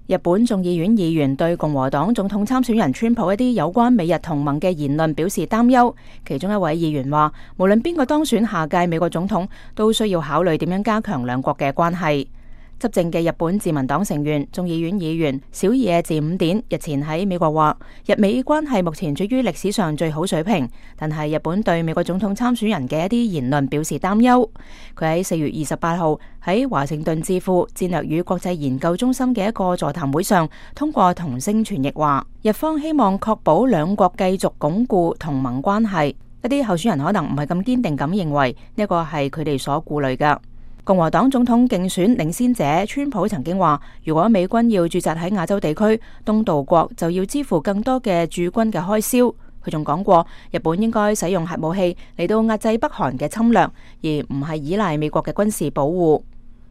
日本眾議院議員對共和黨總統參選人川普一啲有關美日同盟嘅言論表示擔憂。其中一位議員話，無論邊個當選下屆美國總統，都需要考慮點樣加強兩國嘅關係。執政嘅日本自民黨成員眾議院議員小野寺五典日前喺美國話，日美關係目前處於歷史上最好水平，但係日本對美國總統參選人嘅一啲言論表示擔憂。佢喺4月28號喺華盛頓智庫戰略與國際研究中心嘅一個座談會上，通過同聲傳譯話，日方希望確保兩國繼續鞏固同盟關係。一啲候選人可能唔係咁堅定咁認為呢個係佢哋所顧慮㗎。共和黨總統競選領先者川普曾經話，如果美軍要駐紮喺亞洲地區，東道國就要支付更多嘅駐軍嘅開銷。佢仲講過，日本應該使用核武器嚟到壓制北韓嘅侵略，而唔係依賴美國嘅軍事保護。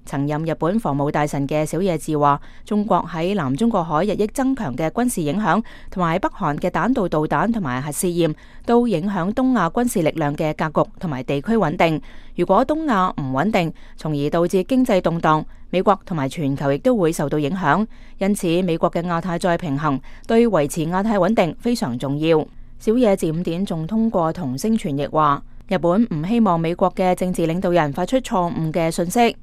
曾任日本防務大臣嘅小野寺話，中國喺南中國海日益增強嘅軍事影響，同埋北韓嘅彈道導彈同埋核試驗，都影響東亞軍事力量嘅格局同埋地區穩定。如果東亞唔穩定，從而導致經濟動盪，美國同埋全球亦都會受到影響。因此，美國嘅亞太再平衡對維持亞太穩定非常重要。小野寺五典仲通過同聲傳譯話，日本唔希望美國嘅政治領導人發出錯誤嘅信息。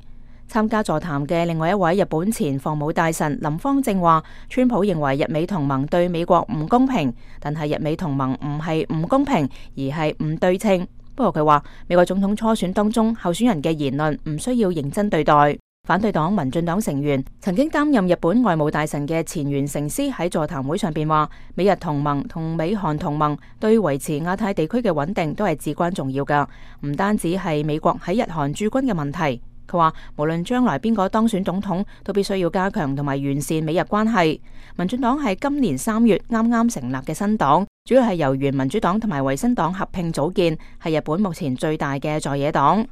參加座談嘅另外一位日本前防務大臣林芳正話，川普認為日美同盟對美國唔公平，但係日美同盟唔係唔公平，而係唔對稱。不過佢話，美國總統初選當中候選人嘅言論唔需要認真對待。反對黨民進黨成員曾經擔任日本外務大臣嘅前原誠司喺座談會上邊話，美日同盟同美韓同盟對維持亞太地區嘅穩定都係至關重要㗎，唔單止係美國喺日韓駐軍嘅問題。佢話，無論將來邊個當選總統，都必須要加強同埋完善美日關係。民進黨係今年3月啱啱成立嘅新黨，主要係由原民主黨同埋維新黨合併組建，係日本目前最大嘅在野黨。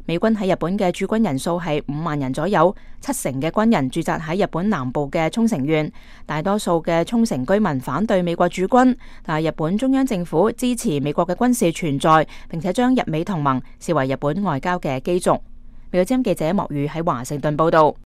美軍喺日本嘅駐軍人數係5萬人左右，70%嘅軍人駐紮喺日本南部嘅沖繩縣。大多數嘅沖繩居民反對美國駐軍，但係日本中央政府支持美國嘅軍事存在，並且將日美同盟視為日本外交嘅基軸。美國之音記者莫宇喺華盛頓報道。